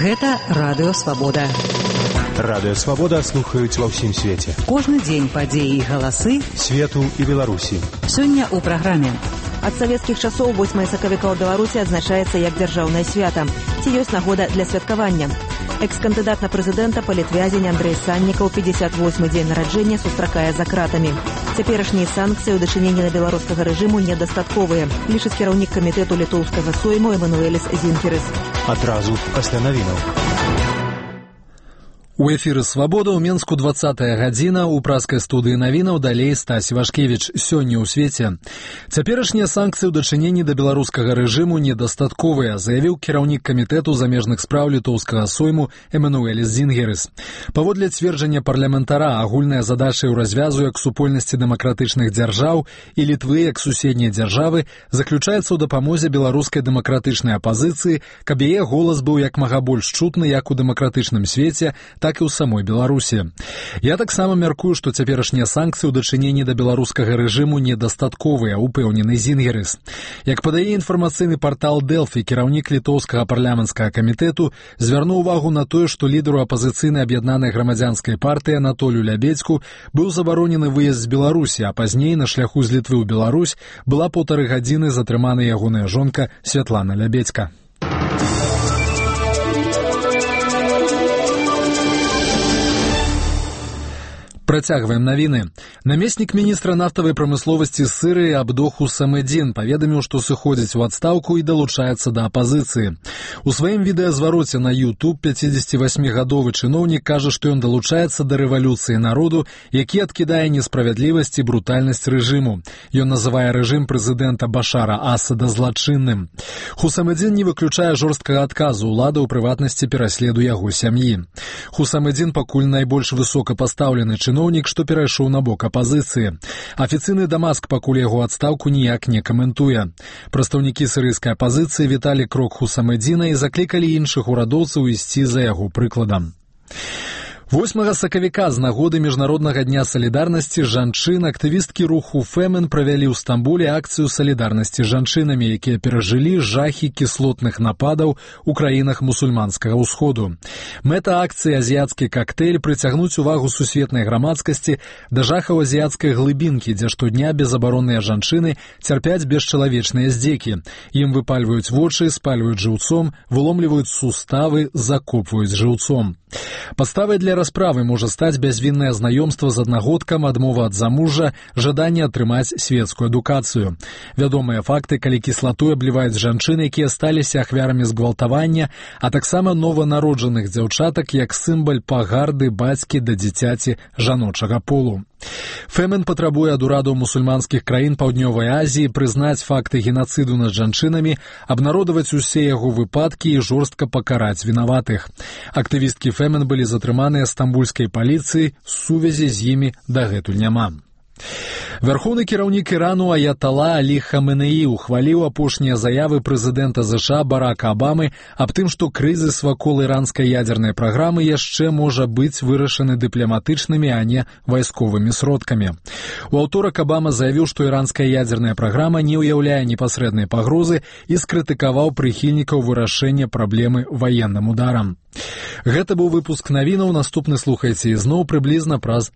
Гэта Радыё Свабода. Радыё Свабода слухаюць ва ўсім свеце. Кожны дзень падзеі і галасы свету і Беларусі. Сёння ў праграме. Ад савецкіх часоў 8 сакавіка ў Беларусі адзначаецца як дзяржаўнае свята. Ці ёсць нагода для святкавання? Экс-кандыдат на прэзідэнта, палітвязень Андрэй Саннікаў 58-й дзень нараджэння сустракае за кратамі. Цяперашнія санкцыі ў дачыненні на беларускага рэжыму недастатковыя, лічыць кіраўнік камітэту літоўскага сойму Эмануэліс Зінкерыс. Адразу пасля навінаў. У эфіры «Свабода» ў Менску 20-я гадзіна, у праскай студыі навінаў далей Стась Вашкевіч. Сёння ў свеце. Цяперашнія санкцыі ў дачыненні да беларускага рэжыму недастатковыя, заявіў кіраўнік камітэту замежных спраў літоўскага сойму Эмануэліс Зінгерыс. Паводле цверджання парламентара, агульная задача ў развязу як супольнасці дэмакратычных дзяржаў і Літвы як суседняй дзяржавы заключаецца ў дапамозе беларускай дэмакратычнай апазіцыі, каб яе голас быў як мага больш чутны як у дэмакратычным свеце, так і ў самой Беларусі. Я таксама мяркую, што цяперашнія санкцыі ў дачыненні да беларускага рэжыму недастатковыя, упэўнены Зінгерыс. Як падае інфармацыйны партал Дэлфі, кіраўнік літоўскага парламенцкага камітэту звярнуў увагу на тое, што лідару апазіцыйнай аб'яднанай грамадзянскай партыі Анатолію Лябедзьку быў забаронены выезд з Беларусі, а пазней на шляху з Літвы ў Беларусь была 1,5 гадзіны затрымана ягоная жонка Святлана Лябедзька. Працягваем навіны. Намеснік міністра нафтавай прамысловасці Сырыі Абдох Хусамэдзін паведаміў, што сыходзіць у адстаўку і далучаецца да апазіцыі. У сваім відэазвароце на YouTube 58-гадовы чыноўнік кажа, што ён далучаецца да рэвалюцыі народу, які адкідае несправядлівасць і брутальнасць рэжыму. Ён называе рэжым прэзідэнта Башара Асада злачынным. Хусамэдзін не выключае жорсткага адказу ўлады, у прыватнасці пераследу яго сям'і. Хусамэдзін пакуль найбольш высокапастаўлены чыноўнік, што перайшоў на бок апазіцыі. Афіцыйны Дамаск пакуль яго адстаўку ніяк не каментуе. Прадстаўнікі сірыйскай апазіцыі віталі крок Хусамэдзіна і заклікалі іншых урадоўцаў ісці за яго прыкладам. 8 сакавіка з нагоды Міжнароднага дня салідарнасці жанчын актывісткі руху Фемен правялі ў Стамбуле акцыю салідарнасці з жанчынамі, якія перажылі жахі кіслотных нападаў у краінах мусульманскага ўсходу. Мэта акцыі «Азіяцкі кактэйль» прыцягнуць увагу сусветнай грамадскасці да жахаў азіяцкай глыбінкі, дзе штодня безабаронныя жанчыны цярпяць бесчалавечныя здзекі. Ім выпальваюць вочы, спальваюць жыўцом, выломліваюць суставы, закопваюць жыўцом. Падставай для расправы можа стаць бязвіннае знаёмства з аднагодкам, адмова ад замужжа, жаданне атрымаць светскую адукацыю. Вядомыя факты, калі кіслатой абліваюць жанчын, якія сталіся ахвярамі згвалтавання, а таксама нованароджаных дзяўчатак як сімвал пагарды бацькі да дзіцяці жаночага полу. Фемен патрабуе ад урадаў мусульманскіх краін Паўднёвай Азіі прызнаць факты генацыду над жанчынамі, абнародаваць усе яго выпадкі і жорстка пакараць вінаватых. Актывісткі Фемен былі затрыманыя стамбульскай паліцыяй, сувязі з імі дагэтуль няма. Вярхоўны кіраўнік Ірану Аятала Алі Хаменеі ухваліў апошнія заявы прэзідэнта США Барака Абамы аб тым, што крызіс вакол іранскай ядзернай праграмы яшчэ можа быць вырашаны дыпламатычнымі, а не вайсковымі сродкамі. У аўторак Абама заявіў, што іранская ядзерная праграма не ўяўляе непасрэднай пагрозы і скрытыкаваў прыхільнікаў вырашэння праблемы ваенным ударам. Гэта быў выпуск навінаў, наступны слухайце ізноў прыблізна праз